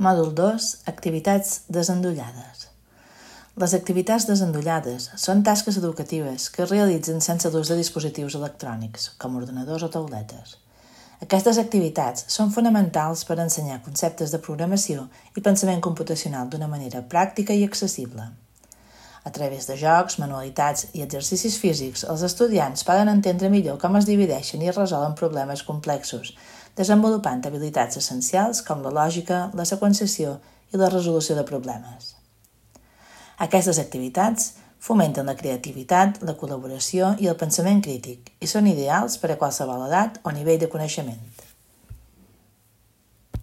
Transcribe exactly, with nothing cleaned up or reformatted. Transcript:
Mòdul dos. Activitats desendollades. Les activitats desendollades són tasques educatives que es realitzen sense l'ús de dispositius electrònics, com ordenadors o tauletes. Aquestes activitats són fonamentals per ensenyar conceptes de programació i pensament computacional d'una manera pràctica i accessible. A través de jocs, manualitats i exercicis físics, els estudiants poden entendre millor com es divideixen i es resolen problemes complexos, desenvolupant habilitats essencials com la lògica, la seqüenciació i la resolució de problemes. Aquestes activitats fomenten la creativitat, la col·laboració i el pensament crític i són ideals per a qualsevol edat o nivell de coneixement.